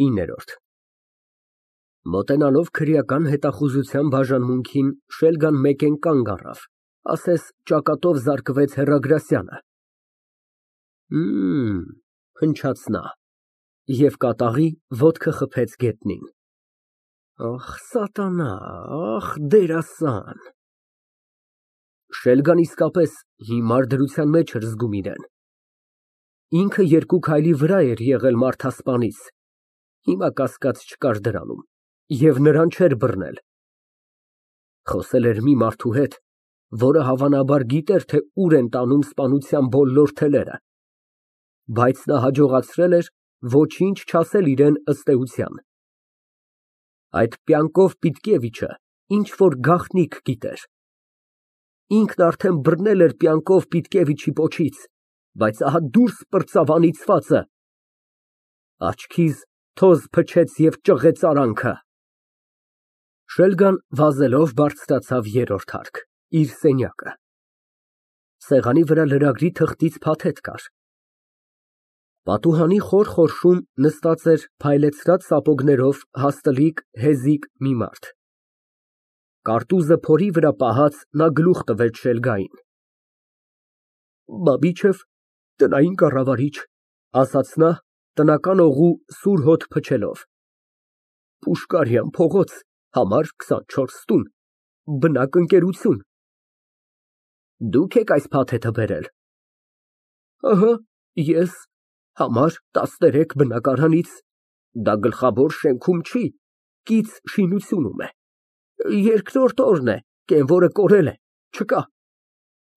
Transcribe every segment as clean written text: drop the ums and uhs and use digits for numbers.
9 Մոտենալով քրեական հետախուզության բաժանմունքին, Շելգան մեկեն կանգ առավ, ասես ճակատով զարկվեց հեռագրասյանը։ Փնչաց նա և կատաղի ոտքը խփեց գետնին։ Ախ, սատանա, ախ, դերասան։ Շելգան իսկապես հիմար դրության մեջ էր զգում իրեն։ Ինքը 2 քայլի վրա էր եղել մարդասպանից, հիմա կասկած չկար դրանում, և նրան չէր բռնել։ Խոսել էր մի մարդու հետ, որը հավանաբար գիտեր, թե ուր են տանում սպանության բոլոր թելերը, բայց նա հաջողացրել էր ոչինչ չասել իրան ըստ էության։ Այդ Պյանկով Պիտկևիչը ինչ֊որ գաղտնիք գիտեր։ Ինքն արդեն բռնել էր Պյանկով Պիտկևիչի պոչից, բայց ահա դուրս պրծավ անիծվածը։ Աչքիս թոզ փչեց և ճղեց արանքը։ Շելգան վազելով բարձրացավ 3-րդ հարկ, իր սենյակը։ Սեղանի վրա լրագրի թղթից փաթեթ կար։ Պատուհանի խոր խորշում նստած էր փայլեցրած սապոգներով հաստլիկ, հեզիկ մի մարդ։ Կարտուզը փորի վրա պահած, նա գլուխ տվեց Շելգային։ Բաբիչև, տնային կառավարիչ, ասաց նա, տնական օղու սուր հոտ փչելով։ Պուշկարյան փողոց, համար 24 տուն, բնակ ընկերություն։ Դուք եք այս փաթեթը բերել։ Ահա, ես, համար 13 բնակարանից, դա գլխավոր շենքում չի, կից շինությունում է։ Երկրորդ օրն է, կենվորը կորել է, չկա։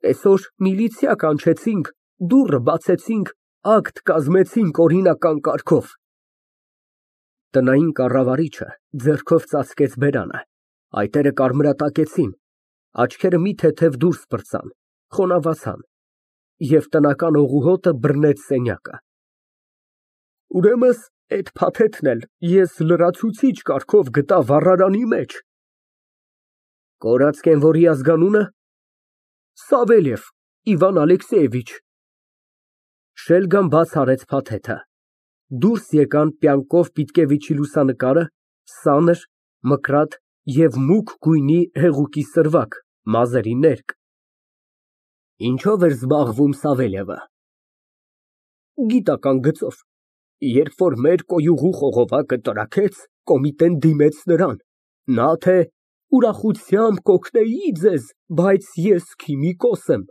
Այսօր միլիցիա կանչեցինք, դուռը բացեցինք, ակտ կազմեցինք օրինական կարգով։ Տնային կառավարիչը ձեռքով ծածկեց բերանը, այտերը կարմրատակեցին, աչքերը մի թեթև դուրս պրծան, խոնավացան, և տնական օղու հոտը բռնեց սենյակը։ Ուրեմն այդ փաթեթն էլ ես լրացուցիչ կարգով գտա վառարանի մեջ։ Կորած կենվորի ազգանունը։ Սավելև Իվան Ալեքսեևիչ։ Շելգան բաց արեց փաթեթը։ Դուրս եկան Պյանկով Պիտկևիչի լուսանկարը, սանր, մկրատ և մուգ գույնի հեղուկի սրվակ, մազերի ներկ։ Ինչո՞վ էր զբաղվում Սավելևը։ Գիտական գծով։ Երբ որ մեր կոյուղու խողովակը տրաքեց, կոմիտեն դիմեց նրան, նա թե ուրախությամբ կօգնեի ձեզ, բայց ես քիմիկոս եմ։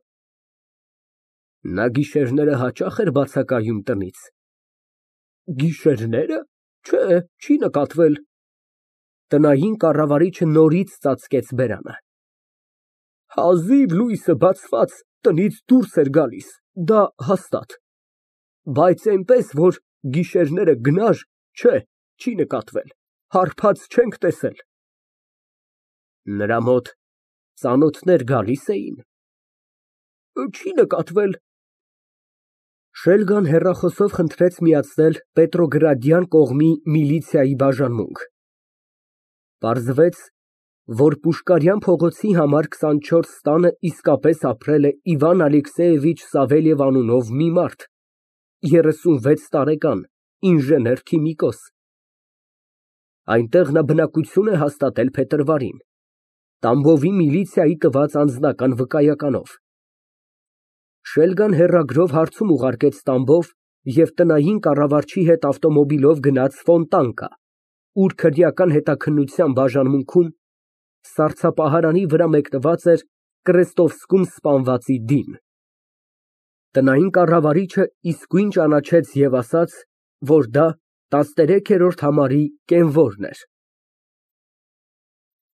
Նա գիշերները հաճախ էր բացակայում տնից։ Գիշերները, չէ, չի նկատվել։ Տնային կառավարիչը նորից ծածկեց բերանը։ Հազիվ լույսը բացված, տնից դուրս էր գալիս, դա հաստատ, բայց այնպես, որ գիշերները գնար, չէ, չի նկատվել, հարբած չենք տեսել։ Նրա մոտ ծանոթներ գալի՞ս էին։ Չի նկատվել։ Շելգան հեռախոսով խնդրեց միացնել Պետրոգրադյան կողմի միլիցիայի բաժանմունք։ Պարզվեց, որ Պուշկարյան փողոցի համար 24 տանը իսկապես ապրել է Իվան Ալեքսեևիչ Սավելև անունով մի մարդ, 36 տարեկան, ինժեներ֊քիմիկոս։ Այնտեղ նա բնակություն է հաստատել փետրվարին, Տամբովի միլիցիայի տված անձնական վկայականով։ Շելգան հեռագրով հարցում ուղարկեց Տամբով և տնային կառավարչի հետ ավտոմոբիլով գնաց Ֆոնտանկա, ուր քրեական հետաքննության բաժանմունքում սառցապահարանի վրա մեկնված էր Կրեստովսկում սպանվածի դին։ Տնային կառավարիչը իսկույն ճանաչեց և ասաց, որ դա 13-րդ համարի կենվորն էր։